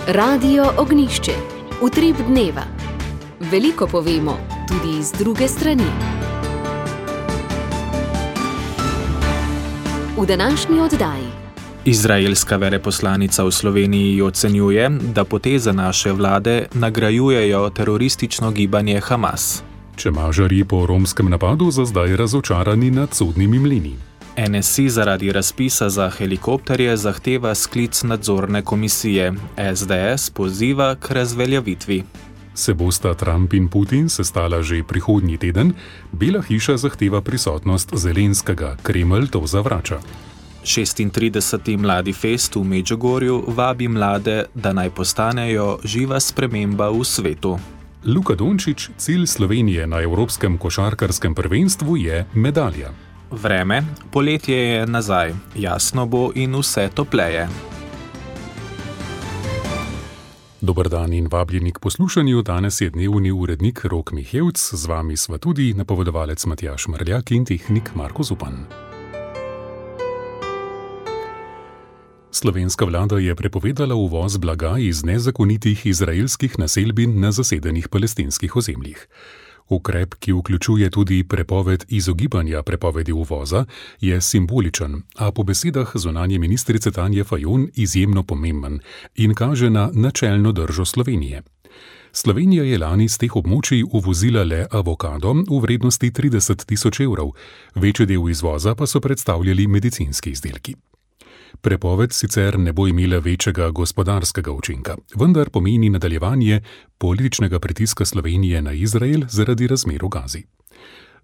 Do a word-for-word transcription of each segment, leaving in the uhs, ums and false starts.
Radio Ognišče, utrip dneva. Veliko povemo, tudi iz druge strani. V današnji oddaji. Izraelska veleposlanica v Sloveniji ocenjuje, da poteze naše vlade nagrajujejo teroristično gibanje Hamas. Čemažarji po romskem napadu za zdaj razočarani nad sodnimi mlini. N S I zaradi razpisa za helikopterje zahteva sklic nadzorne komisije. S D S poziva k razveljavitvi. Se bosta Trump in Putin sestala že prihodnji teden, Bela hiša zahteva prisotnost Zelenskega, Kremelj to zavrača. šestintrideseti Mladi fest v Medžugorju vabi mlade, da naj postanejo živa sprememba v svetu. Luka Dončić, cilj Slovenije na Evropskem košarkarskem prvenstvu je medalja. Vreme, poletje je nazaj, jasno bo in vse topleje. Dober dan in vabljeni k poslušanju, danes je dnevni urednik Rok Mihevc, z vami sva tudi napovedovalec Matjaž Mrljak in tehnik Marko Zupan. Slovenska vlada je prepovedala uvoz blaga iz nezakonitih izraelskih naselbin na zasedenih palestinskih ozemljih. Ukrep, ki vključuje tudi prepoved izogibanja prepovedi uvoza, je simboličen, a po besedah zunanje ministrice Tanje Fajon izjemno pomemben in kaže na načelno držo Slovenije. Slovenija je lani z teh območij uvozila le avokado v vrednosti trideset tisoč evrov, večji del izvoza pa so predstavljali medicinski izdelki. Prepoved sicer ne bo imela večjega gospodarskega učinka, vendar pomeni nadaljevanje političnega pritiska Slovenije na Izrael zaradi razmer v Gazi.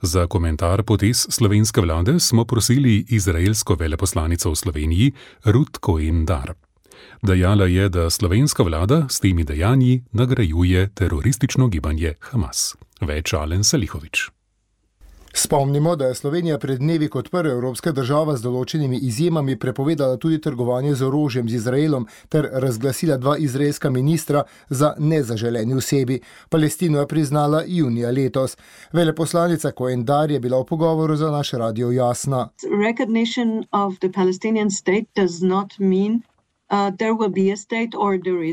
Za komentar potez slovenske vlade smo prosili izraelsko veleposlanico v Sloveniji Ruth Cohen-Dar. Dejala je, da slovenska vlada s temi dejanji nagrajuje teroristično gibanje Hamas. Več Alen Salihović. Spomnimo, da je Slovenija pred dnevi kot prva evropska država z določenimi izjemami prepovedala tudi trgovanje z orožjem z Izraelom ter razglasila dva izraelska ministra za nezaželeni osebi. Palestino je priznala junija letos. Veleposlanica Cohen-Dar je bila v pogovoru za naš radio jasna. Recognition of the Palestinian state does not mean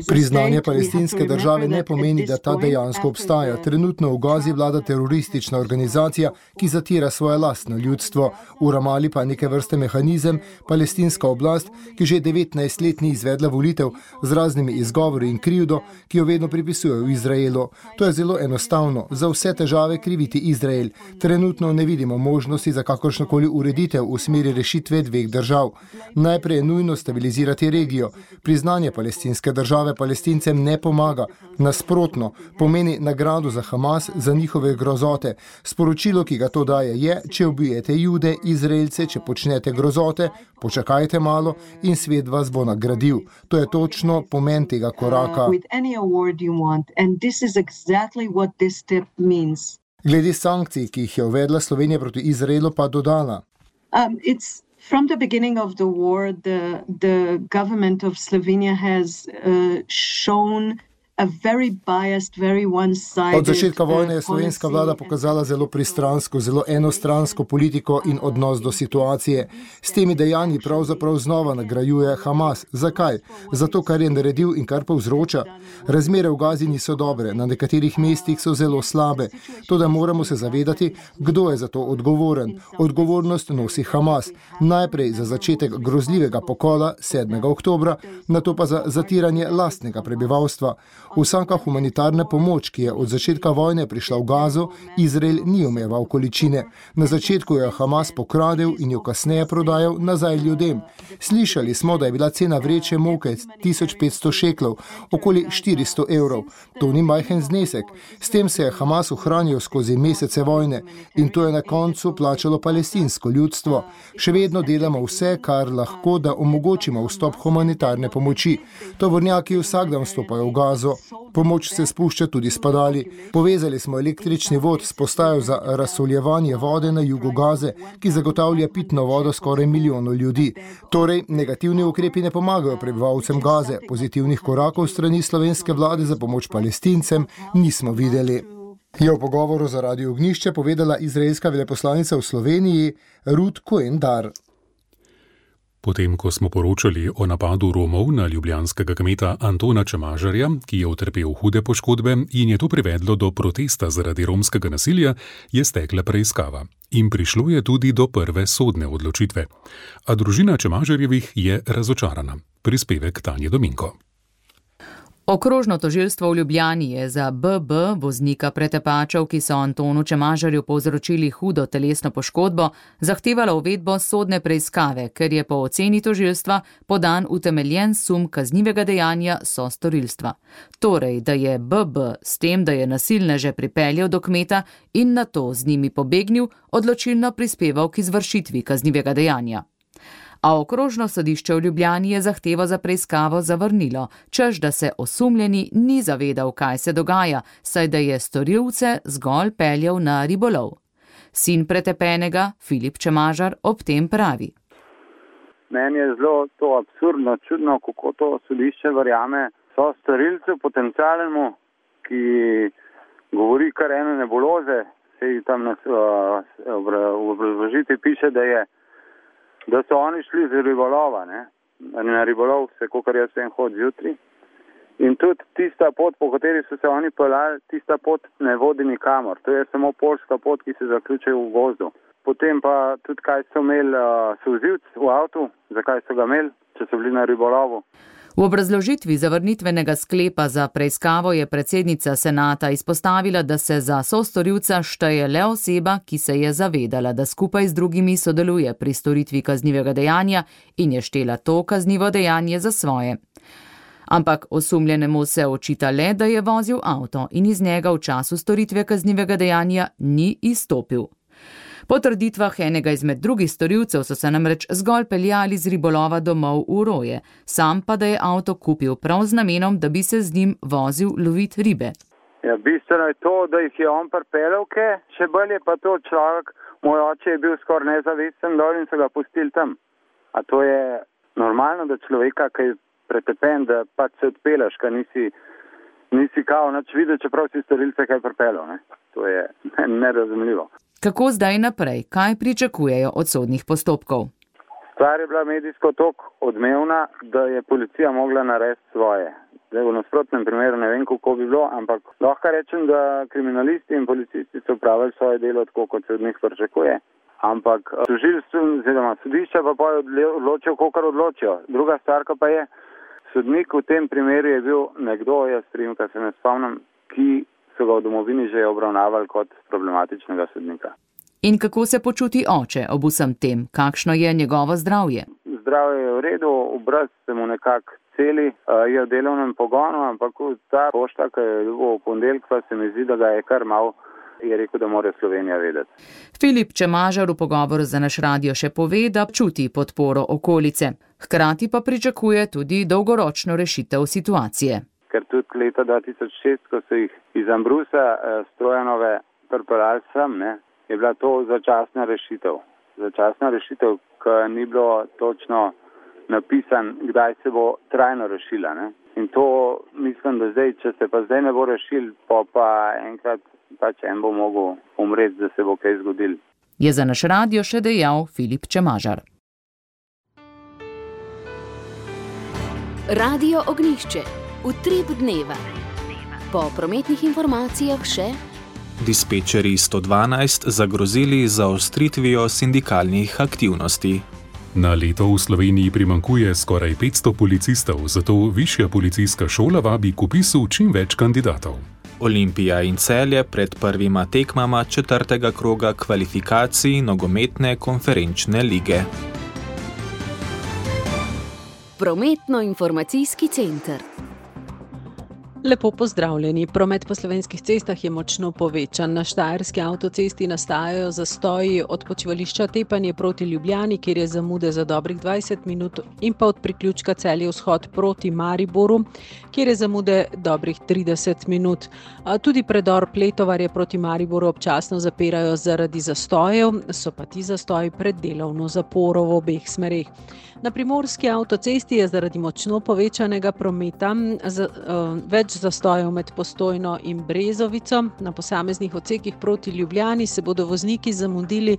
Priznanje palestinske države ne pomeni, da ta dejansko obstaja. Trenutno v Gazi vlada teroristična organizacija, ki zatira svoje lastno ljudstvo. V Ramali pa neke vrste mehanizem, palestinska oblast, ki že devetnajst let ni izvedla volitev z raznimi izgovori in krivdo, ki jo vedno pripisujejo v Izraelu. To je zelo enostavno, za vse težave kriviti Izrael. Trenutno ne vidimo možnosti za kakršnokoli ureditev v smeri rešitve dveh držav. Najprej je nujno stabilizirati regijo. Priznanje palestinske države Palestincem ne pomaga. Nasprotno, pomeni nagrado za Hamas za njihove grozote. Sporočilo, ki ga to daje, je, če ubijete Jude, Izraelce, če počnete grozote, počakajte malo in svet vas bo nagradil. To je točno pomen tega koraka. Glede sankcij, ki jih je uvedla Slovenija proti Izraelu, pa dodala. Um, it's From the beginning of the war, the, the government of Slovenia has uh, shown a very biased, very one-sided. Od začetka vojne je slovenska vlada pokazala zelo pristransko, zelo enostransko politiko in odnos do situacije. S temi dejanji pravzaprav znova nagrajuje Hamas. Zakaj? Zato, kar je naredil in kar povzroča. Razmere v Gazi niso dobre, na nekaterih mestih so zelo slabe. Toda moramo se zavedati, kdo je za to odgovoren. Odgovornost nosi Hamas. Najprej za začetek grozljivega pokola sedmega oktobra, nato pa za zatiranje lastnega prebivalstva. Vsaka humanitarna pomoč, ki je od začetka vojne prišla v Gazo, Izrael ni omejeval količine. Na začetku jo je Hamas pokradel in jo kasneje prodajal nazaj ljudem. Slišali smo, da je bila cena vreče moke tisoč petsto šeklov, okoli štiristo evrov. To ni majhen znesek. S tem se je Hamas ohranil skozi mesece vojne in to je na koncu plačalo palestinsko ljudstvo. Še vedno delamo vse, kar lahko, da omogočimo vstop humanitarne pomoči. Tovornjaki vsak dan vstopajo v Gazo. Pomoč se spušča tudi s padali. Povezali smo električni vod s postajo za razsoljevanje vode na jugu Gaze, ki zagotavlja pitno vodo skoraj milijonu ljudi. Torej, negativni ukrepi ne pomagajo prebivalcem Gaze. Pozitivnih korakov strani slovenske vlade za pomoč Palestincem nismo videli. Je v pogovoru za Radio Ognišče povedala izraelska veleposlanica v Sloveniji Ruth Cohen-Dar. Potem, ko smo poročali o napadu Romov na ljubljanskega kmeta Antona Čemažarja, ki je utrpel hude poškodbe in je to privedlo do protesta zaradi romskega nasilja, je stekla preiskava. In prišlo je tudi do prve sodne odločitve. A družina Čemažarjevih je razočarana. Prispevek Tanje Dominko. Okrožno tožilstvo v Ljubljani je za B B, voznika pretepačev, ki so Antonu Čemažarju povzročili hudo telesno poškodbo, zahtevalo uvedbo sodne preiskave, ker je po oceni tožilstva podan utemeljen sum kaznivega dejanja sostorilstva. Torej, da je B B s tem, da je nasilneže pripeljal do kmeta in nato z njimi pobegnil, odločilno prispeval k izvršitvi kaznivega dejanja. A okrožno sodišče v Ljubljani je zahtevo za preiskavo zavrnilo, češ da se osumljeni ni zavedal, kaj se dogaja, saj da je storilce zgolj peljal na ribolov. Sin pretepenega, Filip Čemažar, ob tem pravi. Meni je zelo to absurdno, čudno, kako to sodišče verjame so storilcu potencialnemu, ki govori kar ene nebuloze, sej tam na, v obrazložitvi piše, da je da so oni šli z ribolova, ne? Na ribolov se, kakor jaz vem, hod zjutraj. In tudi tista pot, po kateri so se oni peljali, tista pot ne vodi nikamor. To je samo poljska pot, ki se zaključuje v gozdu. Potem pa tudi, kaj so imeli uh, solzivc v avtu, zakaj so ga imeli, če so bili na ribolovu. V obrazložitvi zavrnitvenega sklepa za preiskavo je predsednica senata izpostavila, da se za sostorilca šteje le oseba, ki se je zavedala, da skupaj z drugimi sodeluje pri storitvi kaznivega dejanja in je štela to kaznivo dejanje za svoje. Ampak osumljenemu se očita le, da je vozil avto in iz njega v času storitve kaznivega dejanja ni izstopil. Po trditvah enega izmed drugih storilcev so se namreč zgolj peljali z ribolova domov v Roje, sam pa da je avto kupil prav z namenom, da bi se z njim vozil lovit ribe. Ja, bistveno je to, da jih je on pripeljal, še bolj je pa to človek, moj oče je bil skoraj nezavesten dol in so ga pustili tam. A to je normalno, da človeka, ki je pretepen, da pač se odpelaš, ka nisi, nisi kao nič videl, čeprav si storilce kaj pripeljal, ne? To je nerazumljivo. Kako zdaj naprej? Kaj pričakujejo od sodnih postopkov? Stvar je bila medijsko toliko odmevna, da je policija mogla narediti svoje. Zdaj v nasprotnem primeru ne vem, kako bi bilo, ampak lahko rečem, da kriminalisti in policisti so upravili svoje delo tako, kot se od njih pričakuje. Ampak tožilstvo oziroma sodišča pa pa odločijo, kakor odločijo. Druga stvar pa je, sodnik v tem primeru je bil nekdo, jaz primka se ne spomnim, ki so ga v domovini že obravnavali kot problematičnega sodnika. In kako se počuti oče ob vsem tem? Kakšno je njegovo zdravje? Zdravje je v redu, obraz se mu nekako celi, je v delovnem pogonu, ampak ta pošta, ki je v ponedeljek, pa se mi zdi, da ga je kar mal, je rekel, da mora Slovenija vedeti. Filip Čemažar v pogovoru za naš radio še pove, da čuti podporo okolice. Hkrati pa pričakuje tudi dolgoročno rešitev situacije. Ker tudi leta dva tisoč šest, ko so jih iz Ambrusa eh, Strojanove pripeljali sem, ne, je bila to začasna rešitev. Začasna rešitev, ki ni bilo točno napisan, kdaj se bo trajno rešila. Ne. In to mislim, da zdaj, če se pa zdaj ne bo rešil, pa, pa enkrat pač en bo mogel umreti, da se bo kaj zgodil. Je za naš radio še dejal Filip Čemažar. Radio Ognjišče. Utrip dneva. Po prometnih informacijah še dispečerji sto dvanajst zagrozili za zaostritvijo sindikalnih aktivnosti. Na leto v Sloveniji primanjkuje skoraj petsto policistov, zato višja policijska šola vabi k vpisu čim več kandidatov. Olimpija in Celje pred prvima tekmama četrtega kroga kvalifikacij nogometne konferenčne lige. Prometno-informacijski center. Lepo pozdravljeni. Promet po slovenskih cestah je močno povečan. Na štajerski avtocesti nastajajo zastoji od počivališča Tepanje proti Ljubljani, kjer je zamude za dobrih dvajset minut, in pa od priključka Celje vzhod proti Mariboru, kjer je zamude dobrih trideset minut. A tudi predor Pletovarje proti Mariboru občasno zapirajo zaradi zastojev, so pa ti zastoji pred delovno zaporo v obeh smereh. Na primorski avtocesti je zaradi močno povečanega prometa z, uh, več več zastojev med Postojno in Brezovico. Na posameznih odsekih proti Ljubljani se bodo vozniki zamudili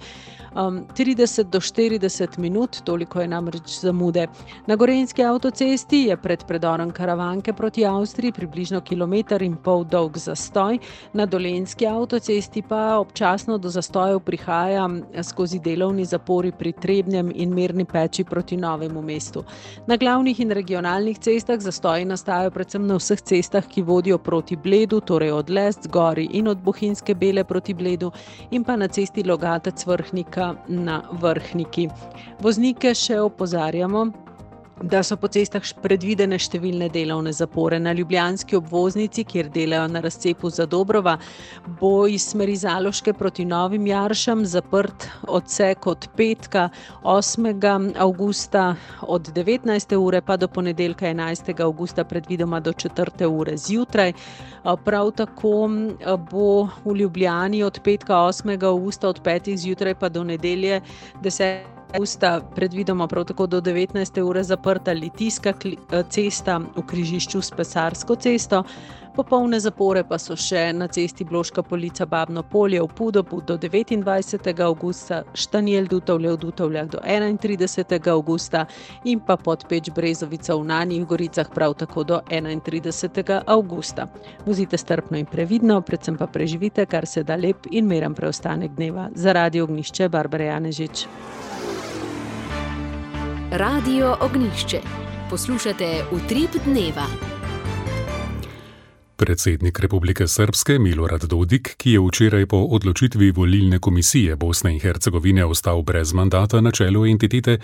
um, trideset do štirideset minut, toliko je namreč zamude. Na Gorenjski avtocesti je pred predorom Karavanke proti Avstriji približno kilometer in pol dolg zastoj, na Dolenjski avtocesti pa občasno do zastojev prihaja skozi delovni zapori pri Trebnjem in Mirni Peči proti Novemu mestu. Na glavnih in regionalnih cestah zastoji nastajajo predvsem na vseh cestah, ki vodijo proti Bledu, torej od Lest, Gori in od Bohinjske Bele proti Bledu in pa na cesti Logatec-Vrhnika na Vrhniki. Voznike še opozarjamo, da so po cestah predvidene številne delovne zapore. Na ljubljanski obvoznici, kjer delajo na razcepu Zadobrova, bo iz smeri Zaloške proti Novim Jaršam zaprt odsek od petka osmega avgusta od devetnajste ure pa do ponedeljka enajstega avgusta predvidoma do četrte ure zjutraj. Prav tako bo v Ljubljani od petka osmega avgusta od petih zjutraj pa do nedelje desetega avgusta predvidoma prav tako do devetnajste ure zaprta Litijska cesta v križišču s Pesarsko cesto. Popolne zapore pa so še na cesti Bloška Polica Babno Polje v Pudobu do devetindvajsetega avgusta, Štanjel Dutovlje v Dutovljah do enaintridesetega avgusta in pa Podpeč Brezovica v Nanjih Goricah prav tako do enaintridesetega avgusta. Vozite strpno in previdno, predvsem pa preživite kar se da lep in miren preostanek dneva. Za Radio Ognjišče, Barbara Janežič. Radio Ognjišče. Poslušate Utrip dneva. Predsednik Republike Srbske Milorad Dodik, ki je včeraj po odločitvi volilne komisije Bosne in Hercegovine ostal brez mandata na čelu entitete,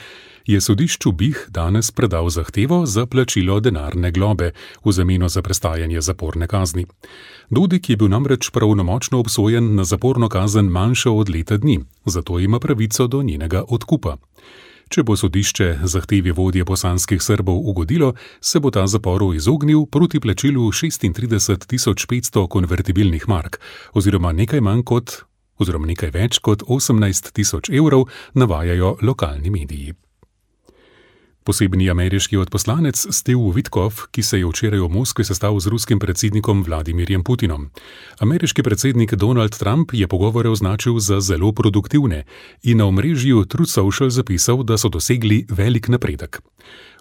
je sodišču Bih danes predal zahtevo za plačilo denarne globe v zameno za prestajanje zaporne kazni. Dodik je bil namreč pravnomočno obsojen na zaporno kazen manjšo od leta dni, zato ima pravico do njenega odkupa. Če bo sodišče zahtevi vodje bosanskih Srbov ugodilo, se bo ta zaporu izognil proti plačilu šestintrideset tisoč petsto konvertibilnih mark oziroma nekaj manj kot, oziroma nekaj več kot osemnajst tisoč evrov, navajajo lokalni mediji. Posebni ameriški odposlanec Steve Witkoff, ki se je včeraj v Moskvi sestal z ruskim predsednikom Vladimirjem Putinom. Ameriški predsednik Donald Trump je pogovore označil za zelo produktivne in na omrežju Truth Social zapisal, da so dosegli velik napredek.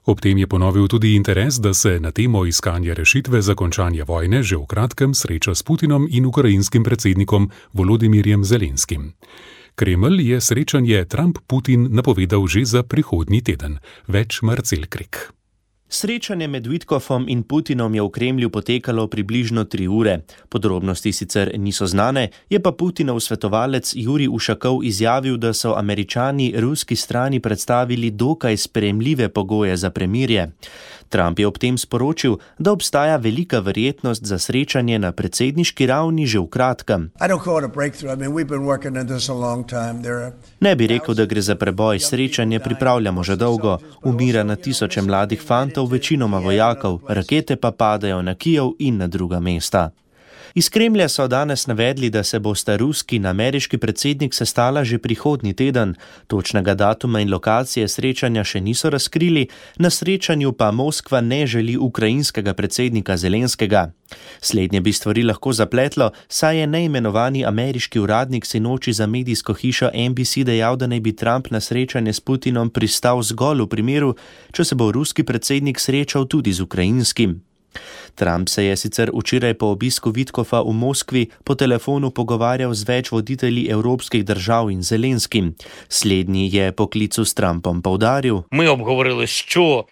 Ob tem je ponovil tudi interes, da se na temo iskanja rešitve za končanje vojne že v kratkem sreča s Putinom in ukrajinskim predsednikom Volodimirjem Zelenskim. Kremelj je srečanje Trump-Putin napovedal že za prihodnji teden. Več Marcel Krek. Srečanje med Witkoffom in Putinom je v Kremlju potekalo približno tri ure. Podrobnosti sicer niso znane, je pa Putinov svetovalec Jurij Ušakov izjavil, da so Američani ruski strani predstavili dokaj sprejemljive pogoje za premirje. Trump je ob tem sporočil, da obstaja velika verjetnost za srečanje na predsedniški ravni že v kratkem. Ne bi rekel, da gre za preboj, srečanje pripravljamo že dolgo, umira na tisoče mladih fantov, večinoma vojakov, rakete pa padajo na Kijev in na druga mesta. Iz Kremlja so danes navedli, da se bosta ruski in ameriški predsednik sestala že prihodnji teden. Točnega datuma in lokacije srečanja še niso razkrili, na srečanju pa Moskva ne želi ukrajinskega predsednika Zelenskega. Slednje bi stvari lahko zapletlo, saj je neimenovani ameriški uradnik sinoči za medijsko hišo N B C dejal, da naj bi Trump na srečanje s Putinom pristal zgolj v primeru, če se bo ruski predsednik srečal tudi z ukrajinskim. Trump se je sicer včeraj po obisku Witkoffa v Moskvi po telefonu pogovarjal z več voditelji evropskih držav in Zelenskim. Slednji je po klicu s Trumpom poudaril: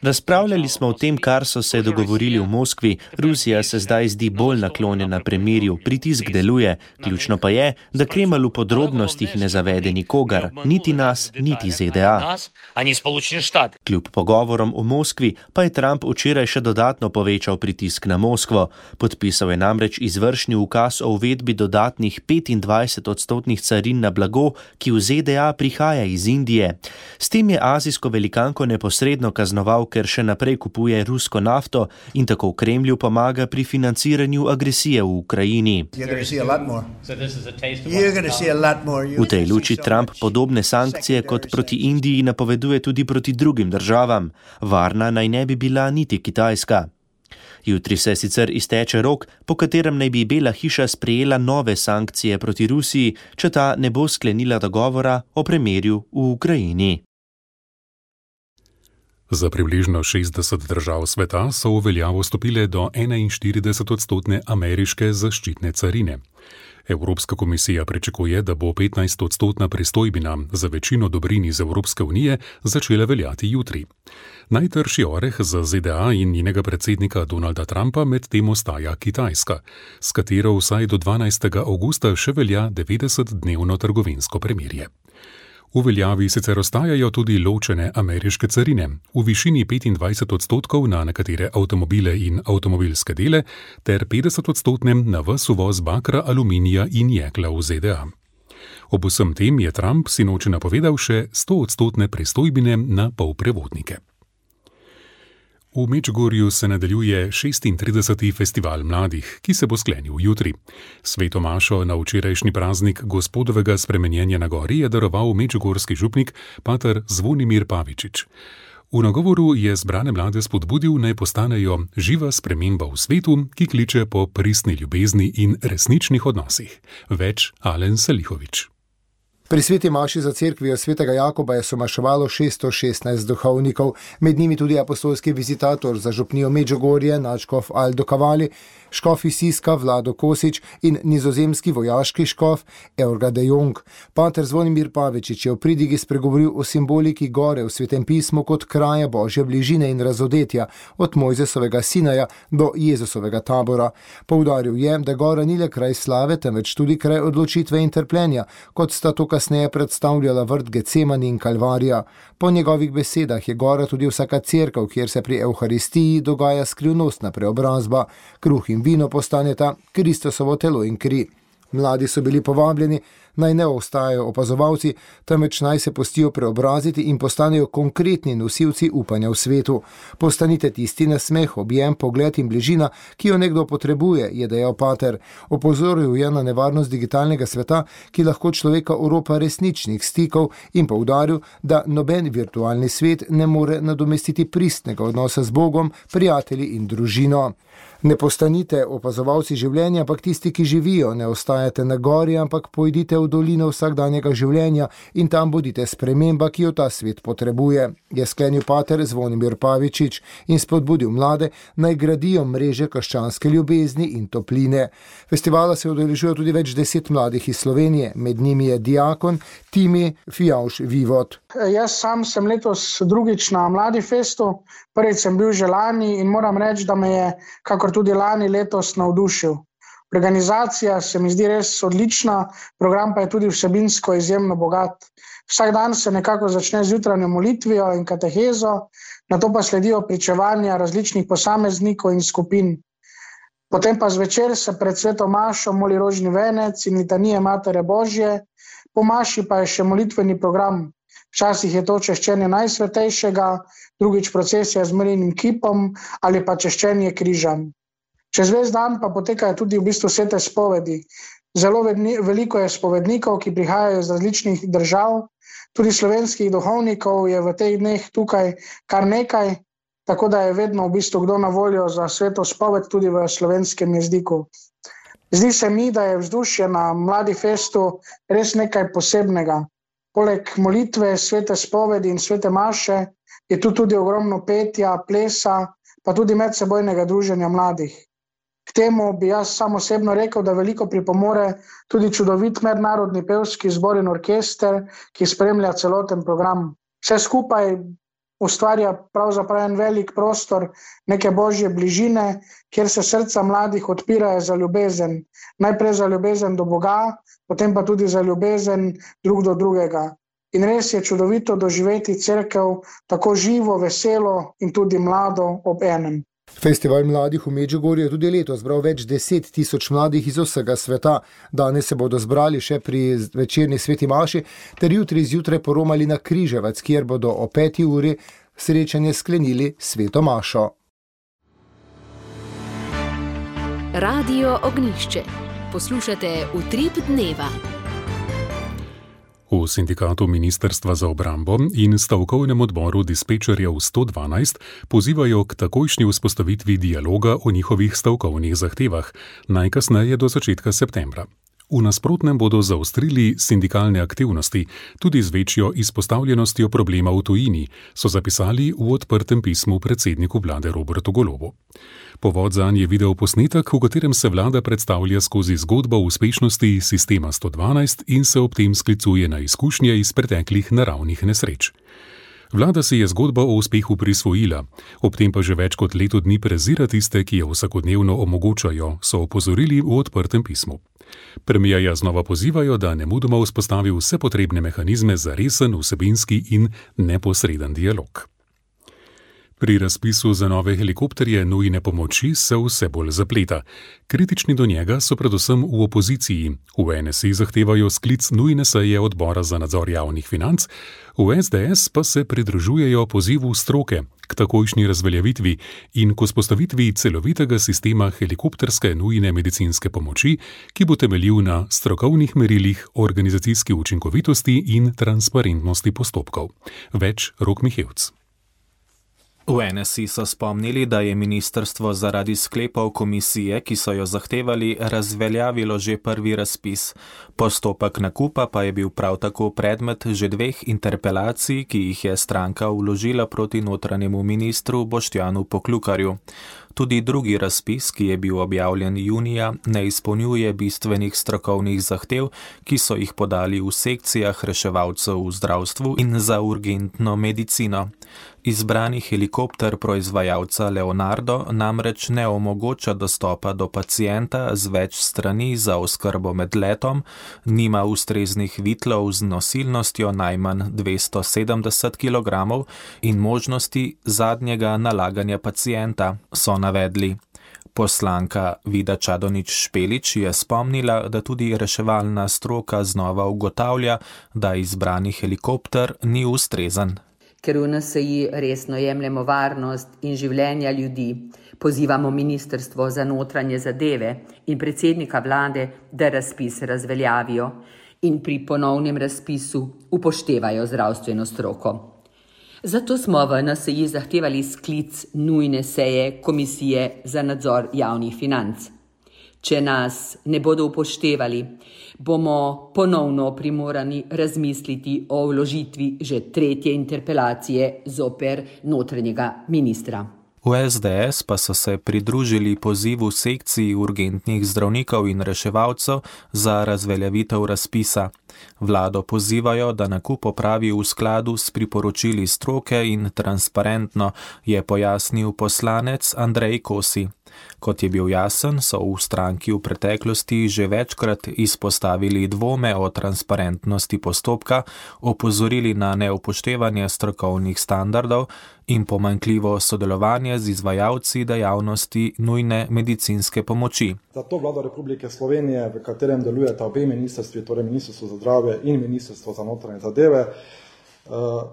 Razpravljali smo o tem, kar so se dogovorili v Moskvi. Rusija se zdaj zdi bolj naklonjena premirju, pritisk deluje. Ključno pa je, da Kremelj v podrobnostih ne zavede nikogar, niti nas, niti Z D A. Kljub pogovorom v Moskvi pa je Trump včeraj še dodatno povečal pritisk na Moskvo. Podpisal je namreč izvršni ukaz o uvedbi dodatnih petindvajset odstotnih carin na blago, ki v Z D A prihaja iz Indije. S tem je azijsko velikanko neposredno kaznoval, ker še naprej kupuje rusko nafto in tako v Kremlju pomaga pri financiranju agresije v Ukrajini. V tej luči Trump podobne sankcije kot proti Indiji napoveduje tudi proti drugim državam. Varna naj ne bi bila niti Kitajska. Jutri se sicer izteče rok, po katerem naj bi Bela hiša sprejela nove sankcije proti Rusiji, če ta ne bo sklenila dogovora o premirju v Ukrajini. Za približno šestdeset držav sveta so v veljavo stopile do enainštirideset odstotne ameriške zaščitne carine. Evropska komisija pričakuje, da bo petnajst odstotna pristojbina za večino dobrin iz Evropske unije začela veljati jutri. Najtrši oreh za Z D A in njenega predsednika Donalda Trumpa med tem ostaja Kitajska, s katero vsaj do dvanajstega avgusta še velja devetdesetdnevno trgovinsko premirje. V veljavi sicer ostajajo tudi ločene ameriške carine v višini petindvajset odstotkov na nekatere avtomobile in avtomobilske dele ter petdeset odstotnem na ves uvoz bakra, aluminija in jekla v Z D A. Ob vsem tem je Trump sinoči napovedal še sto odstotne pristojbine na polprevodnike. V Medžugorju se nadaljuje šestintrideseti festival mladih, ki se bo sklenil jutri. Sveto mašo na včerajšnji praznik Gospodovega spremenjenja na gori je daroval medžugorski župnik pater Zvonimir Pavičič. V nagovoru je zbrane mlade spodbudil, naj postanejo živa sprememba v svetu, ki kliče po pristni ljubezni in resničnih odnosih. Več Alen Salihovič. Pri sveti maši za cerkvijo svetega Jakoba je somaševalo šeststo šestnajst duhovnikov, med njimi tudi apostolski vizitator za župnijo Medžugorje, nadškof Aldo Kavali, škof iz Siska Vlado Kosič in nizozemski vojaški škof Eurga de Jong. Pater Zvonimir Pavičič je v pridigi spregovoril o simboliki gore v Svetem pismu kot kraja Božje bližine in razodetja, od Mojzesovega Sinaja do Jezusovega tabora. Poudaril je, da gora ni le kraj slave, temveč tudi kraj odločitve in trpljenja, kot sta to kasneje predstavljala vrt Gecemani in Kalvarija. Po njegovih besedah je gora tudi vsaka cerkev, kjer se pri Evharistiji dogaja skrivnostna preobrazba. Kruh in vino postaneta Kristusovo telo in kri. Mladi so bili povabljeni, naj ne ostajajo opazovalci, temveč naj se pustijo preobraziti in postanejo konkretni nosilci upanja v svetu. Postanite tisti nasmeh, objem, pogled in bližina, ki jo nekdo potrebuje, je dejal pater. Opozoril je na nevarnost digitalnega sveta, ki lahko človeka oropa resničnih stikov, in poudaril, da noben virtualni svet ne more nadomestiti pristnega odnosa z Bogom, prijatelji in družino. Ne postanite opazovalci življenja, ampak tisti, ki živijo, ne ostajate na gori, ampak pojdite v dolino vsakdanjega življenja in tam bodite sprememba, ki jo ta svet potrebuje, je sklenil pater Zvonimir Pavičič in spodbudil mlade, naj gradijo mreže krščanske ljubezni in topline. Festivala se udeležuje tudi več deset mladih iz Slovenije, med njimi je diakon Timi Fijavš Vivot. Jaz sam sem letos drugič na Mladi festu, prvič sem bil že lani in moram reči, da me je, kakor tudi lani, letos navdušil. Organizacija se mi zdi res odlična, program pa je tudi vsebinsko izjemno bogat. Vsak dan se nekako začne z jutranjo molitvijo in katehezo, nato pa sledijo pričevanja različnih posameznikov in skupin. Potem pa zvečer se pred sveto mašo moli rožni venec in litanije Matere Božje, po maši pa je še molitveni program. Včasih je to češčenje Najsvetejšega, drugič procesija z Marijinim kipom ali pa češčenje križem. Čez ves dan pa potekajo tudi v bistvu svete spovedi. Zelo veliko je spovednikov, ki prihajajo iz različnih držav, tudi slovenskih duhovnikov je v teh dneh tukaj kar nekaj, tako da je vedno v bistvu kdo na voljo za sveto spoved tudi v slovenskem jeziku. Zdi se mi, da je vzdušje na Mladi festu res nekaj posebnega. Poleg molitve, svete spovedi in svete maše je tu tudi ogromno petja, plesa, pa tudi medsebojnega druženja mladih. K temu bi jaz sam osebno rekel, da veliko pripomore tudi čudovit mednarodni pevski zbor in orkester, ki spremlja celoten program. Vse skupaj ustvarja pravzaprav en velik prostor neke božje bližine, kjer se srca mladih odpirajo za ljubezen. Najprej za ljubezen do Boga, potem pa tudi za ljubezen drug do drugega. In res je čudovito doživeti cerkev tako živo, veselo in tudi mlado ob enem. Festival mladih v Medžugorju je tudi letos zbral več deset tisoč mladih iz vsega sveta. Danes se bodo zbrali še pri večerni sveti maši, ter jutri zjutraj poromali na Križevac, kjer bodo o peti uri srečanje sklenili sveto mašo. Radio Ognjišče. Poslušate Utrip dneva. V sindikatu Ministrstva za obrambo in stavkovnem odboru dispečerjev sto dvanajst pozivajo k takojšnji vzpostavitvi dialoga o njihovih stavkovnih zahtevah, najkasneje do začetka septembra. V nasprotnem bodo zaostrili sindikalne aktivnosti, tudi z večjo izpostavljenostjo problema v tujini, so zapisali v odprtem pismu predsedniku vlade Robertu Golobu. Povod zanj je video posnetek, v katerem se vlada predstavlja skozi zgodbo uspešnosti sistema sto dvanajst in se ob tem sklicuje na izkušnje iz preteklih naravnih nesreč. Vlada si je zgodbo o uspehu prisvojila, ob tem pa že več kot leto dni prezira tiste, ki jo vsakodnevno omogočajo, so opozorili v odprtem pismu. Premierja znova pozivajo, da nemudoma vzpostavi vse potrebne mehanizme za resen, vsebinski in neposreden dialog. Pri razpisu za nove helikopterje nujne pomoči se vse bolj zapleta. Kritični do njega so predvsem v opoziciji. V N S I zahtevajo sklic nujne seje odbora za nadzor javnih financ, v S D S pa se pridružujejo pozivu stroke k takojšnji razveljavitvi in k vzpostavitvi celovitega sistema helikopterske nujne medicinske pomoči, ki bo temeljil na strokovnih merilih organizacijske učinkovitosti in transparentnosti postopkov. Več Rok Mihevc. V N S I so spomnili, da je ministrstvo zaradi sklepov komisije, ki so jo zahtevali, razveljavilo že prvi razpis. Postopek nakupa pa je bil prav tako predmet že dveh interpelacij, ki jih je stranka vložila proti notranjemu ministru Boštjanu Poklukarju. Tudi drugi razpis, ki je bil objavljen junija, ne izpolnjuje bistvenih strokovnih zahtev, ki so jih podali v sekcijah reševalcev v zdravstvu in za urgentno medicino. Izbrani helikopter proizvajalca Leonardo namreč ne omogoča dostopa do pacienta z več strani za oskrbo med letom, nima ustreznih vitlov z nosilnostjo najmanj dvesto sedemdeset kilogramov in možnosti zadnjega nalaganja pacienta, so navedli. Poslanka Vida Čadonič Špelič je spomnila, da tudi reševalna stroka znova ugotavlja, da izbrani helikopter ni ustrezen. Ker v N S I resno jemljemo varnost in življenja ljudi, pozivamo Ministrstvo za notranje zadeve in predsednika vlade, da razpis razveljavijo in pri ponovnem razpisu upoštevajo zdravstveno stroko. Zato smo v N S I zahtevali sklic nujne seje Komisije za nadzor javnih financ. Če nas ne bodo upoštevali, bomo ponovno primorani razmisliti o vložitvi že tretje interpelacije zoper notranjega ministra. V S D S pa so se pridružili pozivu sekciji urgentnih zdravnikov in reševalcev za razveljavitev razpisa. Vlado pozivajo, da nakup opravi v skladu s priporočili stroke in transparentno, je pojasnil poslanec Andrej Kosi. Kot je bil jasen, so v stranki v preteklosti že večkrat izpostavili dvome o transparentnosti postopka, opozorili na neupoštevanje strokovnih standardov in pomanjkljivo sodelovanje z izvajalci dejavnosti nujne medicinske pomoči. Zato Vlada Republike Slovenije, v katerem delujeta obe ministrstvi, torej Ministrstvo za zdravje in Ministrstvo za notranje zadeve,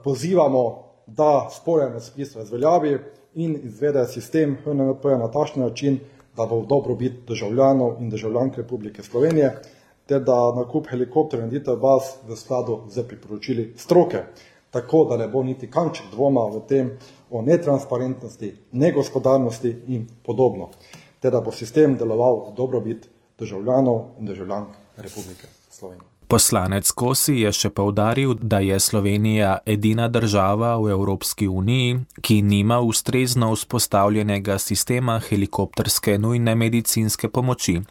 pozivamo, da sporen razpis razveljavi in izvede sistem H N M P na takšen način, da bo v dobrobit državljanov in državljank Republike Slovenije, ter da nakup helikopterjev in delitev baz v skladu z priporočili stroke, tako da ne bo niti kanček dvoma v tem o netransparentnosti, negospodarnosti in podobno, ter da bo sistem deloval v dobrobit državljanov in državljank Republike Slovenije. Poslanec Kosi je še poudaril, da je Slovenija edina država v Evropski uniji, ki nima ustrezno vzpostavljenega sistema helikopterske nujne medicinske pomoči.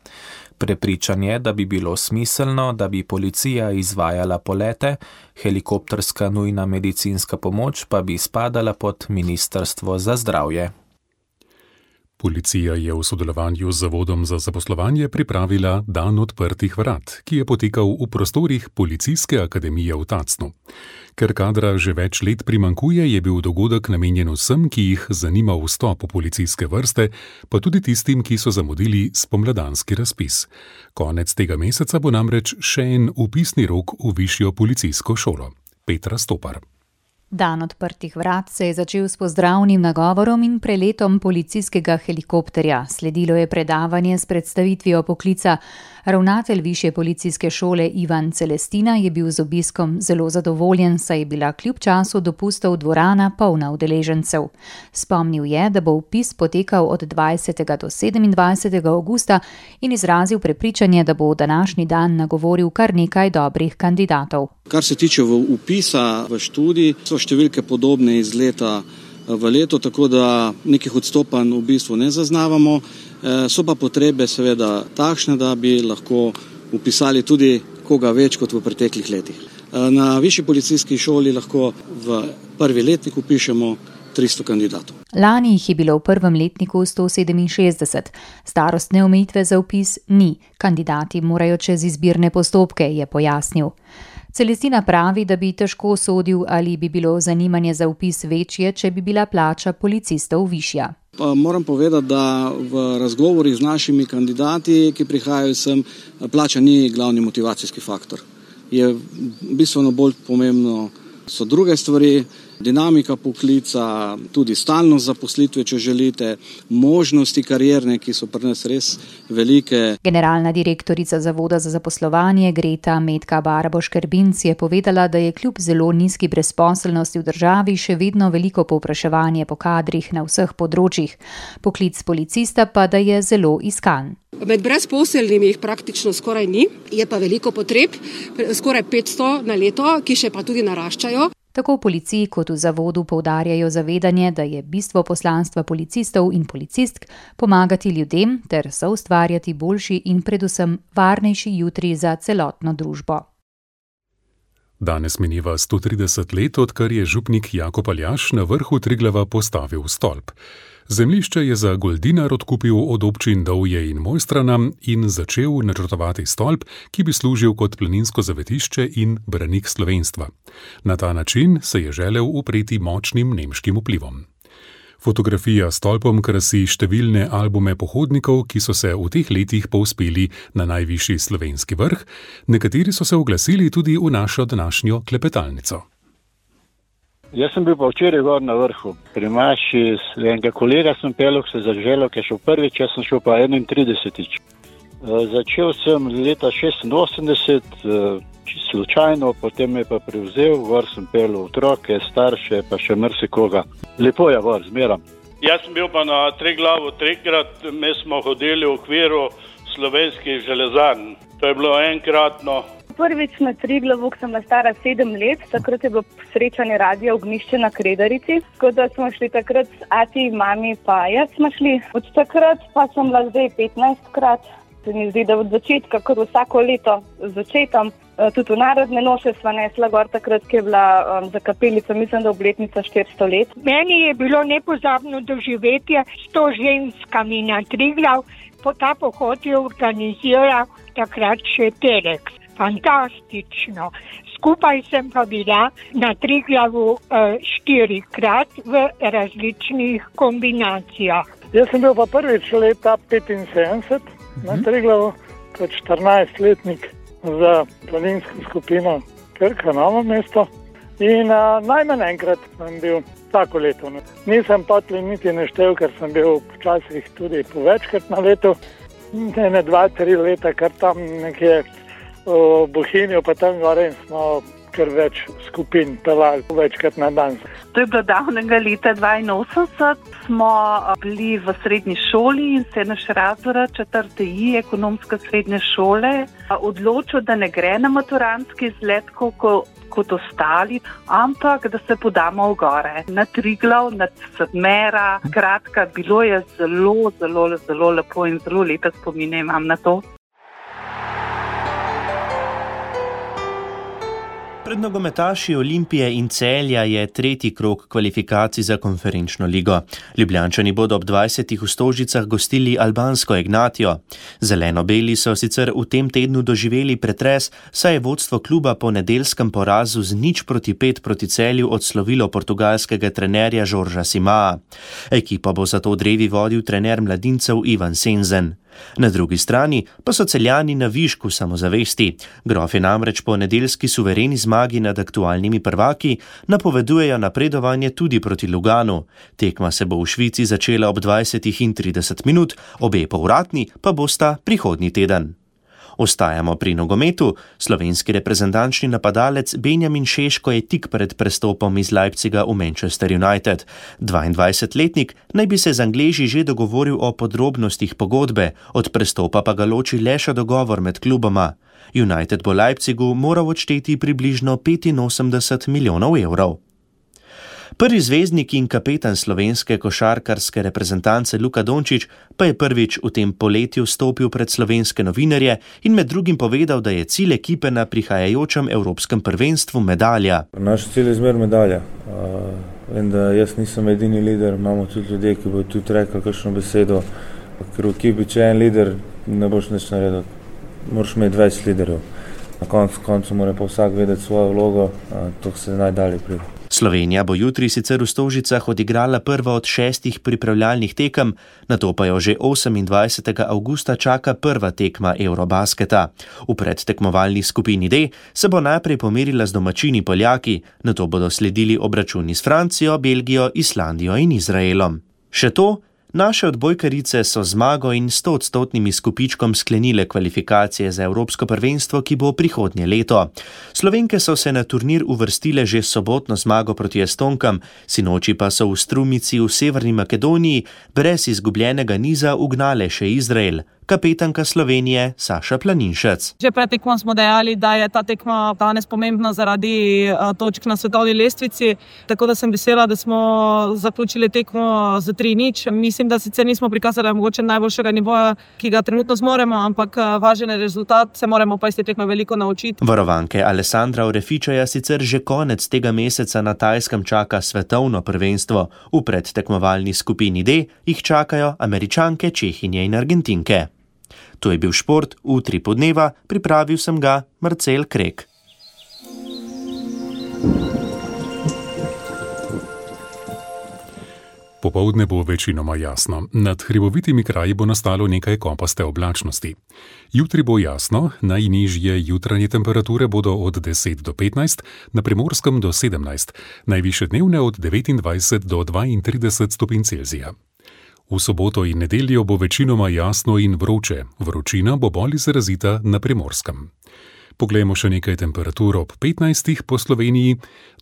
Prepričan je, da bi bilo smiselno, da bi policija izvajala polete, helikopterska nujna medicinska pomoč pa bi spadala pod Ministrstvo za zdravje. Policija je v sodelovanju z Zavodom za zaposlovanje pripravila Dan odprtih vrat, ki je potekal v prostorih Policijske akademije v Tacnu. Ker kadra že več let primankuje, je bil dogodek namenjen vsem, ki jih zanima vstop v policijske vrste, pa tudi tistim, ki so zamudili spomladanski razpis. Konec tega meseca bo namreč še en vpisni rok v višjo policijsko šolo. Petra Stopar. Dan odprtih vrat se je začel s pozdravnim nagovorom in preletom policijskega helikopterja. Sledilo je predavanje s predstavitvijo poklica. Ravnatelj Višje policijske šole Ivan Celestina je bil z obiskom zelo zadovoljen, saj je bila kljub času dopustov dvorana polna udeležencev. Spomnil je, da bo vpis potekal od dvajsetega do sedemindvajsetega avgusta in izrazil prepričanje, da bo današnji dan nagovoril kar nekaj dobrih kandidatov. Kar se tiče vpisa v študij, so številke podobne iz leta v leto, tako da nekih odstopanj v bistvu ne zaznavamo. So pa potrebe seveda takšne, da bi lahko vpisali tudi koga več kot v preteklih letih. Na Višji policijski šoli lahko v prvi letnik vpišemo tristo kandidatov. Lani jih je bilo v prvem letniku sto sedeminšestdeset. Starostne omejitve za vpis ni. Kandidati morajo čez izbirne postopke, je pojasnil. Celestina pravi, da bi težko sodil, ali bi bilo zanimanje za vpis večje, če bi bila plača policistov višja. Pa moram povedati, da v razgovorih z našimi kandidati, ki prihajajo sem, plača ni glavni motivacijski faktor. Je bistveno bolj pomembno so druge stvari, dinamika poklica, tudi stalnost zaposlitve, če želite, možnosti karierne, ki so pri nas res velike. Generalna direktorica Zavoda za zaposlovanje Greta Metka Barboš-Kerbinc je povedala, da je kljub zelo nizki brezposelnosti v državi še vedno veliko povpraševanje po kadrih na vseh področjih. Poklic policista pa da je zelo iskan. Med brezposelnimi jih praktično skoraj ni, je pa veliko potreb, skoraj petsto na leto, ki še pa tudi naraščajo. Tako v policiji kot v zavodu poudarjajo zavedanje, da je bistvo poslanstva policistov in policistk pomagati ljudem ter soustvarjati boljši in predvsem varnejši jutri za celotno družbo. Danes mineva sto trideset let, odkar je župnik Jakob Aljaž na vrhu Triglava postavil stolp. Zemljišče je za goldinar odkupil od občin Dovje in Mojstrana in začel načrtovati stolp, ki bi služil kot planinsko zavetišče in branik slovenstva. Na ta način se je želel upreti močnim nemškim vplivom. Fotografija s stolpom krasi številne albume pohodnikov, ki so se v teh letih povzpeli na najvišji slovenski vrh, nekateri so se oglasili tudi v našo današnjo klepetalnico. Jaz sem bil pa včeraj gor na vrhu. Pri maši enega kolega sem pelil, se zaželel, ki je šel prvič, jaz sem šel pa enaintridesetič. Začel sem leta šestinosemdeset, čisto slučajno, potem me pa prevzel, gor sem pelil otroke, starše, pa še marsikoga. Lepo je gor, zmeram. Jaz sem bil pa na Triglavu trikrat, mi smo hodili v okviru slovenskih železarn. To je bilo enkratno. Prvič na Triglavu, ko sem bila stara sedem let, takrat je bilo srečanje Radia Ognjišče na Kredarici, tako da smo šli takrat s ati, mami pa jaz smo šli. Od takrat pa sem bila zdaj petnajstkrat. Se mi zdi, da od začetka, kar vsako leto začetam, tudi v narodne noše sva nesla gor takrat, ki je bila um, za kapelico, mislim, da obletnica štiristo let. Meni je bilo nepozabno doživetje s to ženskami na Triglav, po ta pohod je organiziral takrat še Telex. Fantastično. Skupaj sem pa bila na Triglavu uh, štirikrat v različnih kombinacijah. Jaz sem bil pa prvič leta petinsedemdeset uh-huh. na Triglavu kot štirinajstletnik za planinsko skupino Krka Novo mesto in uh, najmanj enkrat sem bil tako leto. Nisem potli niti neštev, ker sem bil včasih tudi po večkrat na leto. Ne dva, tri leta, kar tam nekje v Bohinju, pa tam gore smo kar več skupin pelali večkrat na dan. To je bilo davnega leta dvainosemdeset, smo bili v srednji šoli in se naš razred četrte I, ekonomska srednje šole, odločil, da ne gre na maturantski izlet kot, kot ostali, ampak da se podamo v gore. Na Triglav, na Sedmera, kratka, bilo je zelo, zelo, zelo lepo in zelo lepe spomine imam na to. Pred nogometaši Olimpije in Celja je tretji krog kvalifikacij za konferenčno ligo. Ljubljančani bodo ob dvajsetih v Stožicah gostili albansko Ignatijo. Zeleno-beli so sicer v tem tednu doživeli pretres, saj je vodstvo kluba po nedeljskem porazu z nič proti pet proti Celju odslovilo portugalskega trenerja Žorža Simaa. Ekipo bo zato drevi vodil trener mladincev Ivan Senzen. Na drugi strani pa so Celjani na višku samozavesti. Grofi namreč po nedeljski suvereni zmagi nad aktualnimi prvaki napovedujejo napredovanje tudi proti Luganu. Tekma se bo v Švici začela ob dvajsetih in trideset minut, obe povratni pa bosta prihodnji teden. Ostajamo pri nogometu. Slovenski reprezentančni napadalec Benjamin Šeško je tik pred prestopom iz Leipziga v Manchester United. dvaindvajsetletnik naj bi se z Angleži že dogovoril o podrobnostih pogodbe, od prestopa pa ga loči le še dogovor med kluboma. United bo Leipzigu moral odšteti približno petinosemdeset milijonov evrov. Prvi zvezdnik in kapetan slovenske košarkarske reprezentance Luka Dončić pa je prvič v tem poletju stopil pred slovenske novinarje in med drugim povedal, da je cilj ekipe na prihajajočem evropskem prvenstvu medalja. Naš cilj je zmer medalja. Vem, da jaz nisem edini lider, imamo tudi ljudje, ki bodo tudi rekli kakšno besedo, ker v ekipi, če je en lider, ne boš nič naredil. Moraš imeti dvajset liderjev. Na koncu, koncu mora pa vsak vedeti svojo vlogo, to se najdalje pride. Slovenija bo jutri sicer v Stožicah odigrala prva od šestih pripravljalnih tekem, nato pa jo že osemindvajsetega avgusta čaka prva tekma Eurobasketa. V predtekmovalni skupini D se bo najprej pomerila z domačini Poljaki, nato bodo sledili obračuni s Francijo, Belgijo, Islandijo in Izraelom. Še to, naše odbojkarice so zmago in stoodstotnim izkupičkom sklenile kvalifikacije za Evropsko prvenstvo, ki bo prihodnje leto. Slovenke so se na turnir uvrstile že s sobotno zmago proti Estonkam, sinoči pa so v Strumici v Severni Makedoniji brez izgubljenega niza ugnale še Izrael. Kapetanka Slovenije Saša Planinšec. Že pred tekmo smo dejali, da je ta tekma danes pomembna zaradi točk na svetovni lestvici, tako da sem vesela, da smo zaključili tekmo z tri nič. Mislim, da sicer nismo prikazali mogoče najboljšega nivoja, ki ga trenutno zmoremo, ampak važen je rezultat, se moramo pa iz te tekme veliko naučiti. Varovanke Alessandra Orefičaja sicer že konec tega meseca na Tajskem čaka svetovno prvenstvo. V predtekmovalni skupini D jih čakajo Američanke, Čehinje in Argentinke. To je bil šport v Utripu dneva, pripravil sem ga Marcel Krek. Popoldne bo večinoma jasno. Nad hribovitimi kraji bo nastalo nekaj kopaste oblačnosti. Jutri bo jasno, najnižje jutranje temperature bodo od deset do petnajst, na Primorskem do sedemnajst, najvišje dnevne od devetindvajset do dvaintrideset stopinj Celzija. V soboto in nedeljo bo večinoma jasno in vroče, vročina bo bolj izrazita na Primorskem. Poglejmo še nekaj temperatur ob petnajstih po Sloveniji,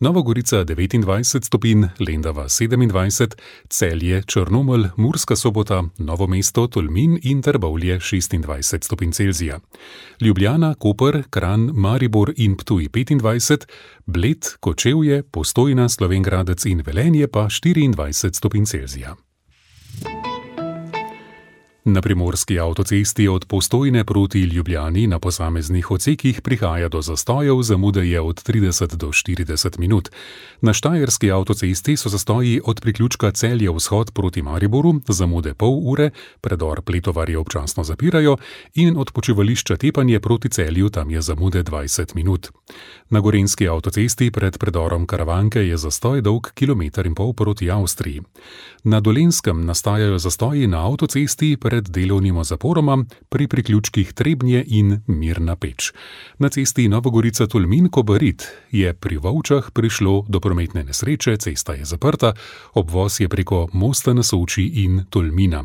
Nova Gorica devetindvajset stopinj, Lendava sedemindvajset, Celje, Črnomelj, Murska Sobota, Novo mesto, Tolmin in Trbovlje šestindvajset stopinj Celzija. Ljubljana, Koper, Kranj, Maribor in Ptuj petindvajset, Bled, Kočevje, Postojna, Slovenj Gradec in Velenje pa štiriindvajset stopinj Celzija. Na primorski avtocesti od Postojne proti Ljubljani na posameznih odsekih prihaja do zastojev, zamude je od trideset do štirideset minut. Na štajerski avtocesti so zastoji od priključka Celje vzhod proti Mariboru, zamude pol ure, predor Pletovarje občasno zapirajo in od počivališča Tepanje proti Celju tam je zamude dvajset minut. Na gorenjski avtocesti pred predorom Karavanke je zastoj dolg kilometer in pol proti Avstriji. Na Dolenjskem nastajajo zastoji na avtocesti pred delovnima zaporoma pri priključkih Trebnje in Mirna Peč. Na cesti Novogorica Tolmin Kobarid je pri Volčah prišlo do prometne nesreče, cesta je zaprta, obvoz je preko mosta na Soči in Tolmina.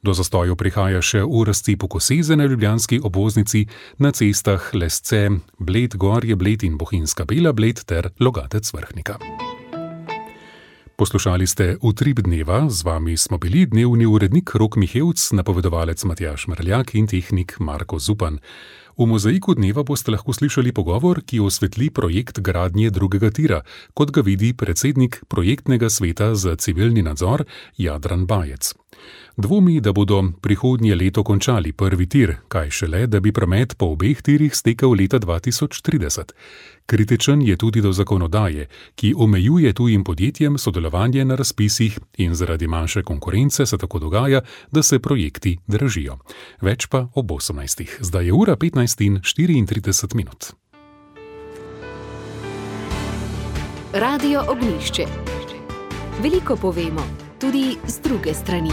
Do zastojev prihaja še v razcepu Koseze na ljubljanski obvoznici, na cestah Lesce, Bled, Gorje, Bled in Bohinjska Bela, Bled ter Logatec Vrhnika. Poslušali ste Utrip dneva, z vami smo bili dnevni urednik Rok Mihevc, napovedovalec Matjaž Mrljak in tehnik Marko Zupan. V mozaiku dneva boste lahko slišali pogovor, ki osvetli projekt gradnje drugega tira, kot ga vidi predsednik projektnega sveta za civilni nadzor Jadran Bajec. Dvomi, da bodo prihodnje leto končali prvi tir, kaj šele, da bi promet po obeh tirih stekel leta dva tisoč trideset. Kritičen je tudi do zakonodaje, ki omejuje tujim podjetjem sodelovanje na razpisih in zaradi manjše konkurence se tako dogaja, da se projekti dražijo. Več pa ob osemnajstih. Zdaj je ura petnajst in štiriintrideset minut. Radio Ognjišče. Veliko povemo, tudi z druge strani.